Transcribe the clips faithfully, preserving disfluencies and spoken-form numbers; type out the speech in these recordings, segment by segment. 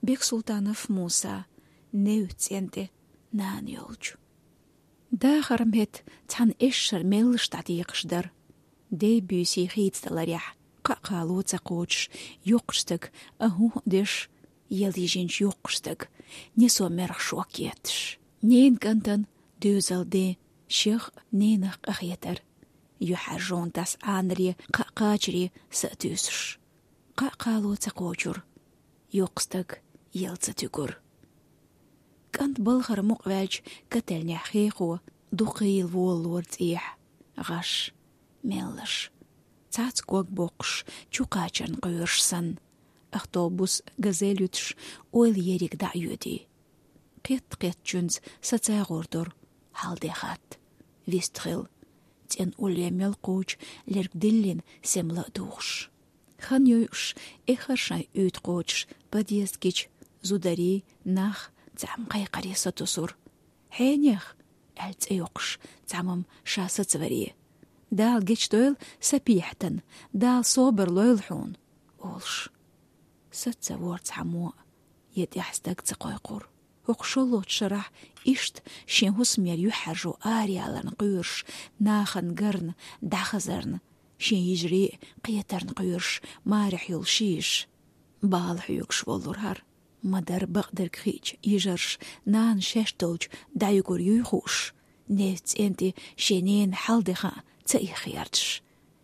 Бексултанов Муса, «Нев цӀен тӀе нана йолчу». Дахаран метта цхьана эшшара меллаша дӀатекхаш дара. Дей-буьйсий хийцадаларехь, кхаа-кхало ца кхочуш, йоккхачу стага а-хӀуъ деш, яла йижинчу йоккхачу стага несо мерах шок етташ. Ненан кӀантана доьзал ден шех а, ненах а къахетара. ЮьхьӀаьржонан тас Ӏанаре кхаа кхачаре са а туьйсуш. Кхаа-кхало ца кхочура. Йоккха стаг яла ца туьгура. КӀант балхара мукъаваьлча, каталнехь хехо дукха йийла волалора цӀехьа. ГӀаш, меллаш, цхьацца ког боккхуш, чу кхачарна кхоьруш санна. Автобус, газель юьтуш, ойла ерриг дӀа а йоьдий. Кхетта-кхеттачуьнца сацагӀор дора, хьал де хатта. Вист хилла. ЦӀена улле мел кхочу лерг диллина, сема ла а духуш. Хан йойуш, эххар шайн уьйтӀа кхочуш, подъезд гича, зударий, нах цхьаъ-м кхайкхаре сатосура. «Хьенех?» — аьлла цӀе йоккхуш, цхьамма-м ша сацаваре. «Дала гечдойла, сапехьтана, Дала собар лойла хьуна», — олуш. Саца ца вора цхьаммо а, я тӀехь стаг ца кхойкхура. ХӀокху шолгӀачу шарахь иштта шен хӀусамера юьхьӀаьржо араяларна кхоьруш, нахана гарна, дӀахазарна, шен йижарий а кхетарна кхоьруш, марехь йолуш йиша. Бала хьоьгуш волура хӀара. Ма-дарра бакъдерг хиъча, йижарша нана шаьш долчу дӀаюгур юй хууш, нев цӀен тӀе шен ненан хьал де хаа ца иххерчаш.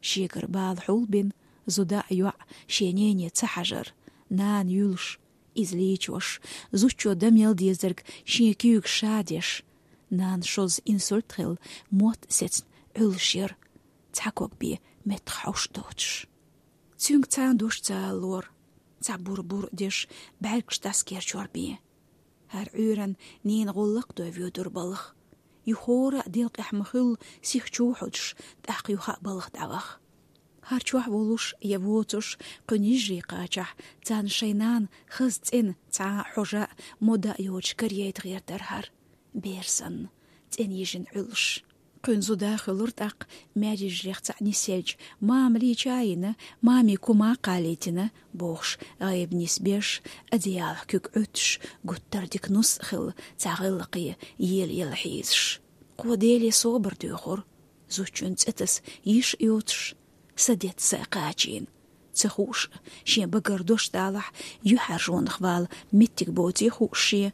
Шегара бала хьулбина, зуда а, йоӀ а шен нене ца хьажар, нана юьлуш, иза лийчош, зудчо дан мел дезарг шен куьйга ша деш, нанна шозза инсульт хилла, мотт а сецна, Ӏуьллуш яра, цхьа ког бен меттах хьовш доцуш. Цуьнга цхьа а дош ца алалора, цхьа бур-бур а деш, бӀаьргаш дӀасакерчор бен. ХӀара Ӏуьйранна ненан гӀуллакх а дой воьдура балха. Юха хӀора а делкъехь ма-хуьллу сих чу хьудуш, тӀаккха юха а балха дӀаваха. ХӀара чохь волуш я воцуш, кхуьнан йижарий кхачахь, царна шайн нана хаза цӀена, цхьа а хьожа а, мода а йоцуш карайта гӀертара хӀара. Бер санна, цӀена йижина Ӏуьллуш. Кхуьнан зуда хуьлура тӀаккха, маьрйижарех цхьаъ нисъелча, мама лийча а йина, мамин кума а кхалийтина, бохуш, гӀайба нисбеш, одеялах куьг Ӏуьттуш, гуттар а дика нус а хилла, цхьа гӀиллакхе ела-ела хьийзаш. Кхо Деле собар доьхура, зудчун цӀе таса йиш а йоцуш, са детта са а кхачийна. Ца хууш а, шен багара дош далахь, юьхьӀаьржонах вала меттиг боций хууш шен.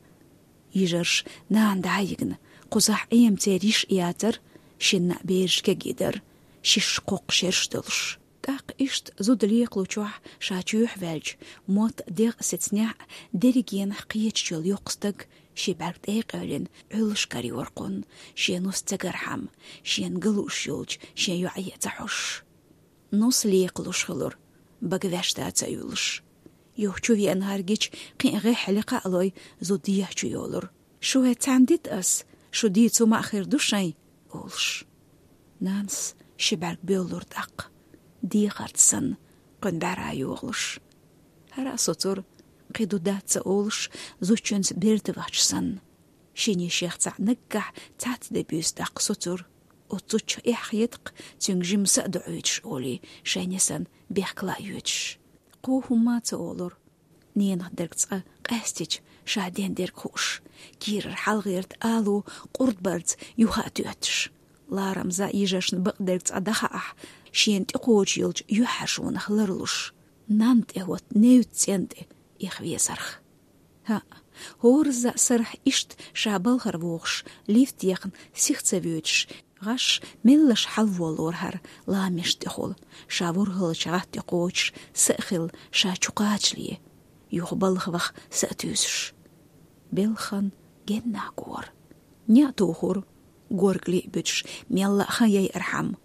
Йижарша нана дӀа а йигна, кхузахь Ӏема церан йиш а яцара, шинна а бераш кегий дара, шишша кхоккха шераш долуш. ТӀаккха иштта зуда лекхалучохь ша чоьхьа ваьлча, мотт а, дегӀ а сецнехь а, дерригенах кхеташ йолу йоккха стаг, ши бӀаьрг тӀе а къевлина, Ӏуьллуш карайора кхунна, шен нус ца гархьама, шена ган лууш йолчу шен йоӀе а ца хьожуш. Нус лекхалуш хилура, бага ваьшта ца уьллуш. Юха чу веана хӀара гича, кхин а гӀеххьа лекха а лой, зуда дехьа чу йолура. «Шу хӀе цхьаьна дита ас? Шу дийца хӀума а хир ду шайн», — олуш. Нанас ши бӀаьрг боьллура тӀаккха, дехарца санна, кхуьнан бӀаьра йохалуш. ХӀара а соцура, кхин ду дац а олуш, зудчуьнца берда вахча санна. Шина йишех цхьаъ наггахь цхьацца де буьйса тӀаккха соцура. Оццу чу эхь хета-кх, цуьнга жимма са а доӀуьйтуш олий, шайн несана бехкала а йоьдуш. Кхо хӀумма а ца олура. Ненах дерг цкъа къаьстича, ша ден дерг хууш, кийрара хьалагӀерта ало къурд барца юха а тоьттуш. Ларамза йижаршна бакъдерг цкъа дӀахаахь, шена тӀекхочуш йолчу юьхьӀаьржонах ларлуш, нанна тӀе хӀотта невццӀен тӀе эхь везарх. ХӀаъ, хӀоразза а сарахь иштта ша балхара вохуш, лифт яхна сиха ца воьдуш, гӀаш меллаша хьалаволлора хӀара ламеш тӀехула, ша ворхӀалгӀачу гӀатта тӀе кхочуш са а хилла, ша чу кхачале, юха балха ваха са а туьйсуш. Белхан генна гора. НеӀ тухура, горга лиъ буьтуш, мелла а хан яйархьама,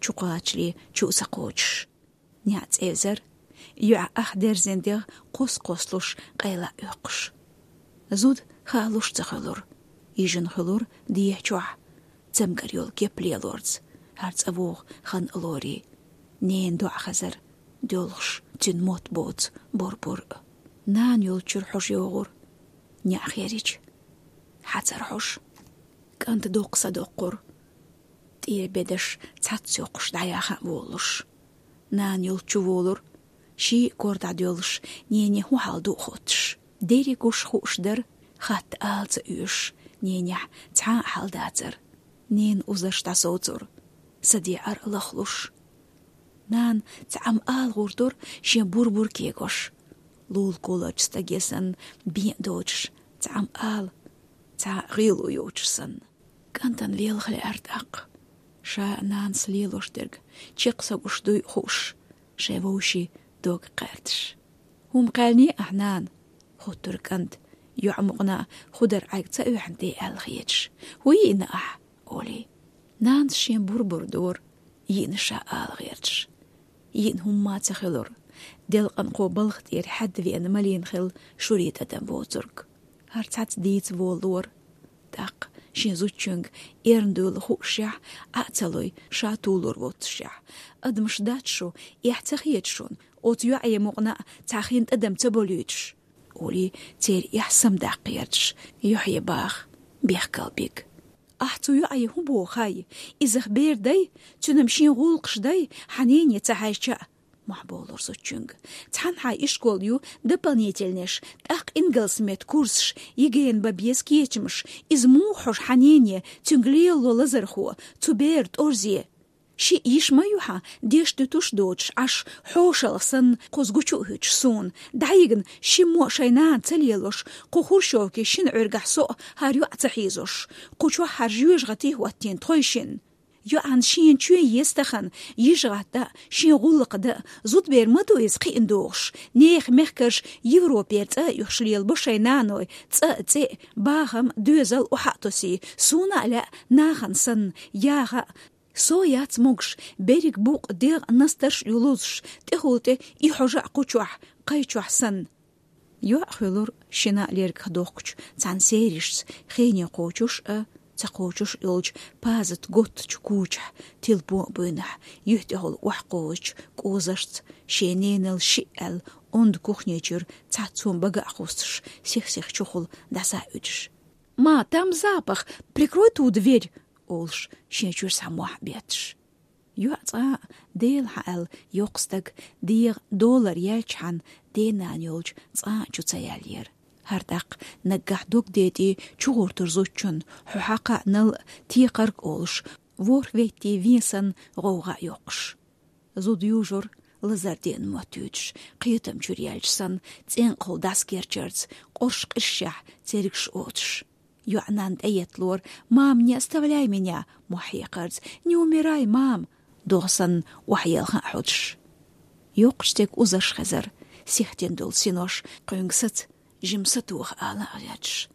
чу кхачале чу а ца кхочуш. НеӀ цӀевзара, йоьӀан ах дерзина дегӀ кхос-кхослуш къайла а оьккхуш. Зуда хаалуш ца хуьлура, йижина хуьлура дехьа чохь, цамгар йолу кеп лелорца, хӀара цӀа вогӀу хан а лорий, ненан доӀа хезара, доьлхуш цуьнан мотт боцу бур-бур а. Нана йолчуьра хьожа йогӀура, неӀ херича, хьацар хьожа. КӀанта доккха са доккхура, тӀера бедарш цхьацца йоккхуш дӀаяха а волуш. Нана йолчу волура, ший а кор дӀадоьллуш, нене хӀун хьал ду а хоттуш. Дерригаш хууш дара, хатта ала ца оьшуш, ненехь цхьа а хьал дацара. Ненан узарш дӀасовцура, саде ара лахлуш. Нана цхьа Ӏам ала гӀертара шен бур-бур кегош. Лулахь кхолларчу стаге санна бен а доцуш, цхьа Ӏам ала, цхьа а гӀело йоцуш санна. КӀантана велха лаьара тӀаккха. Ша нанас лелош дерг чекх са гуш дуй хууш, шайн вовшийн дог кхаьрдаш. «ХӀума кхаьллий ахь, нана?» — хоттура кӀанта, йоӀ мукъана хӀу дара Ӏайг ца оьхьна тӀе аьлла хеташ. «ХӀун йиъна ахь?» — олий. Нанас шен бур-бур дора, йиъна ша ала гӀерташ. Йиъна хӀумма а ца хилира. Делкъана кхо балха тӀера хьаьдда веана малийна хилла шура тӀадам воцург. ХӀара цхьацца дийца волалора. ТӀаккха шен зудчуьнга эрна дуйла хуушшехь, Ӏа а ца лой, ша тулур воццушехь. «Адамаш дац шу, эхь ца хета шуна, оцу йоӀе мукъана а цхьа хин тӀадам ца болуьйтуш?» — олий церан эхь самадаккха гӀерташ, юьхье баха бехкалбиг. «Ахь цу йоӀе хӀун боху хай? Иза-х бер дай, цуьнан шен гӀуллакхаш дай, хьан нене ца хьаьжча а», — мохь болура зудчуьнга. «Цхьанхьа ишкол ю, дополнительнеш, тӀаккха ингалсан меттан курсаш, ЕГЭ-на бан беза кечамаш. Иза муха хьожу хьан нене, цуьнга лелало лазархо, цу беран тӀорзе? Шиъ йиш ма ю хьан, деш-дуьтуш доцуш Ӏаш, хьошалгӀа санна, кхуза гучу а хӀуьттуш суна. ДӀайигна, шиммо а шайн нана ца лелош, кху хрущёвкин шина Ӏуьргахь со а хӀара йоӀ ца хьийзош, кху чохь хӀара жоьжахати хӀоттийна тхойшинна. ЙоӀана шена чоь еза тахана, йижа гӀатта а, шен гӀуллакх дан а, зудбер ма ду иза кхиъна догӀуш. Нехан мехкарша Европера цӀа а оьхуш лелабо шайн наной, цӀа а, цӀе а, бахам а, доьзал а охьа а тосий, суна а лаьа нахана санна, яха а. Со яц могуш, берриг букъ, дегӀ, настарш а ю лозуш, тӀехула тӀе и хьожа а кху чохь, кхай чохь санна». ЙоӀ хуьлура шина а лергах дохкучу цхьана серашца, хене кхочуш а, ца кхочуш а йолчу пазат готтачу кучахь, тилпо а буйнахь, юьхь тӀехула охьакховзачу кӀозашца, шен ненал шиъ аьлла, онда кухни чуьра цхьацца хӀума бага а кхуссуш, сих-сиха чухула дӀаса а уьдуш. «Ма, там запах, прикрой ту дверь!» — олуш, шен чуьра схьа мохь а бетташ. ЙоӀ цкъа а, Дела хьан аьлла, йоккха стаг, дегӀан долар яьлчхьана, денана йолчу цкъа а чу ца яьллера. ХӀара тӀаккха наггахь дог детӀий чугӀортура зудчунна, хьо хьакха а, нал а, текхарг а олуш, ворхӀ веттий вен санна гӀовгӀа а йоккхуш. Зуда южура, лазар деана моттуьйтуш, кхетам чуьра яьлча санна, цӀенкъахула дӀасакерчарца, къорш къиршехь, цергаш оцуш. ЙоӀ нанна тӀеетталора: «Мама, не оставляй меня!» — мохь хьекхарца. «Не умирай, мам!» — догӀа санна, охьаелха а хьодуш. Йоккхачу стеган узарш хезара, сихтина долу синош, кхуьнга саца, жима сатоха ала а гӀерташ.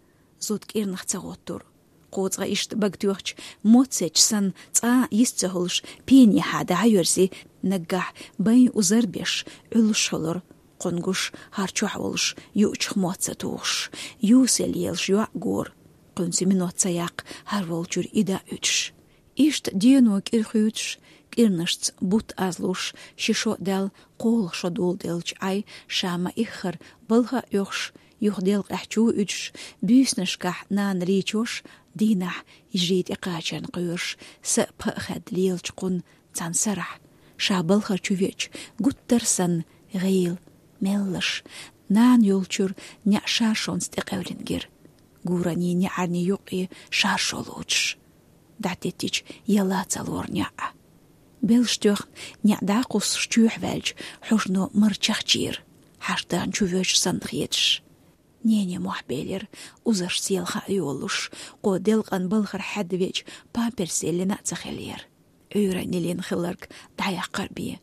Зуда кӀирнах ца гӀоттура. Кхо цкъа иштта бага тоьхча, моццечу санна, цкъа а йист ца хуьлуш, пенехьа дӀа а йоьрзий, наггахь байн узар беш, Ӏуьллуш хуьлура. Кхуьнгаш хӀара чохь волуш юучух мотт ца тухуш, юсал елаш йоӀ гора. Кхуьнца минот ца яккха, хӀара волчуьра и дӀа а уьдуш. Иштта дено кӀира хуьйцуш, кӀирнашца бутт азлуш, ши шо а даьлла, кхоалгӀа шо доладелча Ӏай, ша ма-иххара балха а оьхуш, юха делкъехь чу а уьдуш, буьйсанашкахь нана лийчош, дийнахь йижарий тӀекхачарна кхоьруш, са а, пхи а хаьдда лелачу кхунна цхьана сарахь, ша балхара чу веача, гуттар а санна, гӀийла, меллаша, нана йолчуьра неӀ шаршонца тӀекъевлина гира. Гуранийн неӀарнийн юккъе шаршо лоцуш, дӀатеттича, яла ца лора неӀ. Белш тоьхна, неӀ дӀакхуссуш чоьхьа ваьлча, хьожано мара чахчийра, хьаштагӀна чу воьжуш санна хеташ. Нене мохь белира, узарш селха а йолуш, кхо делкъана балхара хьаьдда веача, памперс еллина а ца хиллера. Ӏуьйранна йиллина хилларг дӀаяккхар бен.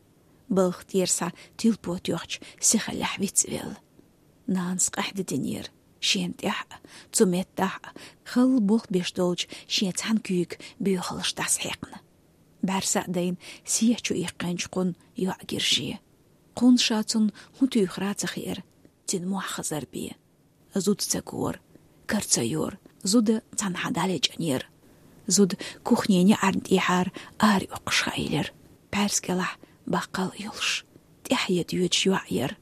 Балха тӀера схьа тилпо тоьхча, сихаллехь вицвелла. Нанас къаьхьа дитинера шена тӀехь а, цу меттахь а, халла болх беш долчу шен цхьана куьйга боьхалш дӀасахьаькхна. БӀаьрса а дайна, сехьа чу иккхинчу кхунна йоӀ гира шен. Кхунна ша цунна хӀун туьйхира а ца хиира, цуьнан мохь хазар бен. Зуда ца гора, кара ца йора, зуда цхьанхьа дӀалечкъинера. Зуда кухнин неӀарна тӀехьара араоьккхуш хаийлира, пхьаьрса кӀелахь баккхал а йолуш, тӀаьхье доьдуш йоӀ яра.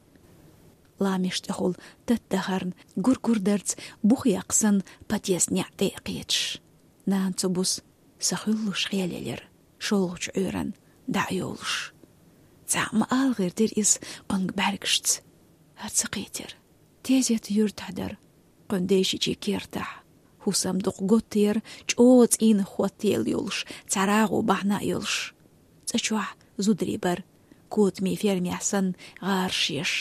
Ламеш тӀехула тата дахарна, гур-гур дарца бух яккха санна, подъезд неӀ тӀе а кхеташ. Нана цу буса са хуьллуш хьелелира, шолгӀачу Ӏуьйранна дӀа а йовлуш. Цхьа а ма ала гӀиртира иза кхуьнга бӀаьргашца. ХӀара ца кхийтира. Тезет юьртахь дара, кхуьнан дайшичийн кертахь. ХӀусамдукха готта яра, чӀогӀа цӀийнах хӀоттаелла йолуш, цхьа рагӀу бахьана а йолуш. ЦӀа чохь зударий бара, котамийн фермехь санна, гӀараш еш.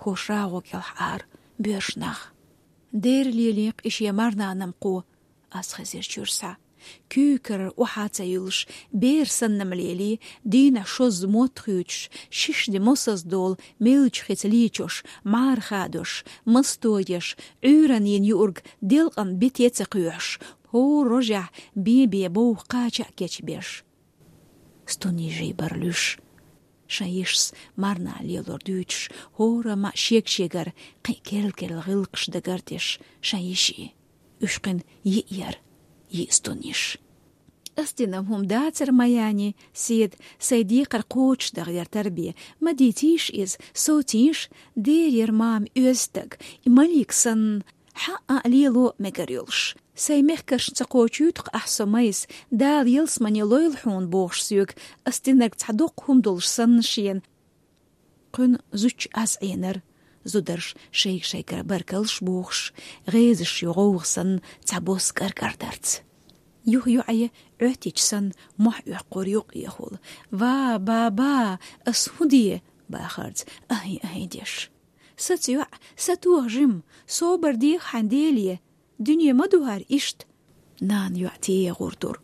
ХӀорш рагӀу кӀелхьара боьрша нах. Дера лелийкх и шен марнанам кхо, ас хезира чуьра схьа. Куьйкара охьа а ца юьллуш, бер санна-м лелий, дийнахь шозза мотт хуьйцуш, шишди мосазза долу меллачу хица лийчош, мӀара хадош, масто еш, Ӏуьйранна йина юург делкъана бите а ца кхоьхьуш, хӀора рожехь бен-бен бовха кхача а кечбеш. Стуннижий бара луьйш. Шайн йишас марна лелор дуьйцуш, хӀорамма а шега-шегара кхин керла-керла гӀиллакхаш дагардеш шайн йишин. Уьш кхин йиъ яра, йиъ стунниш. Ас динарг хӀума дацара, Маяни, седа сайн декхар кхочушдахьара тарбе. Ма дийцийша иза, совцийша, дера яра мама оьзда стаг, и Малик санна, хьан а лело мегар йолуш. Сайн мехкаршна ца кхочуьйту-кх ахь со, Майса, Дала ялсамане лойла хьуна бохуш соьга, ас динарг цхьа доккха хӀума долуш санна шена. Кхуьнан зудчун аз Ӏийнара, зударша шайга-шайгара баркаллаш бохуш, гӀезаш ю гӀовгӀа санна цхьабосса кӀар-кӀардарца. Юха йоӀе Ӏоьттича санна, мохь оьккхура юккъехула: «Ва, ба-ба, ас хӀун де?» — бахарца, ахӀи-ахӀи деш. «Саца йоӀ, сатоха жимма, собар деха хьайн, Деле, дуьне ма ду хӀара иштта». Нана йоӀ тӀе егӀур тура.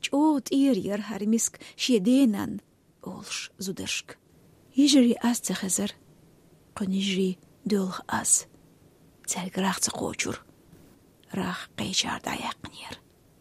«ЧӀогӀа тӀера яра хӀара миска шен денан», — олуш зударшка. Йижарий аз ца хезара. Кхуьнан йижарий доьлху аз. Цаьрга рагӀ ца кхочура. РагӀ кхечара дӀаяьккхинера.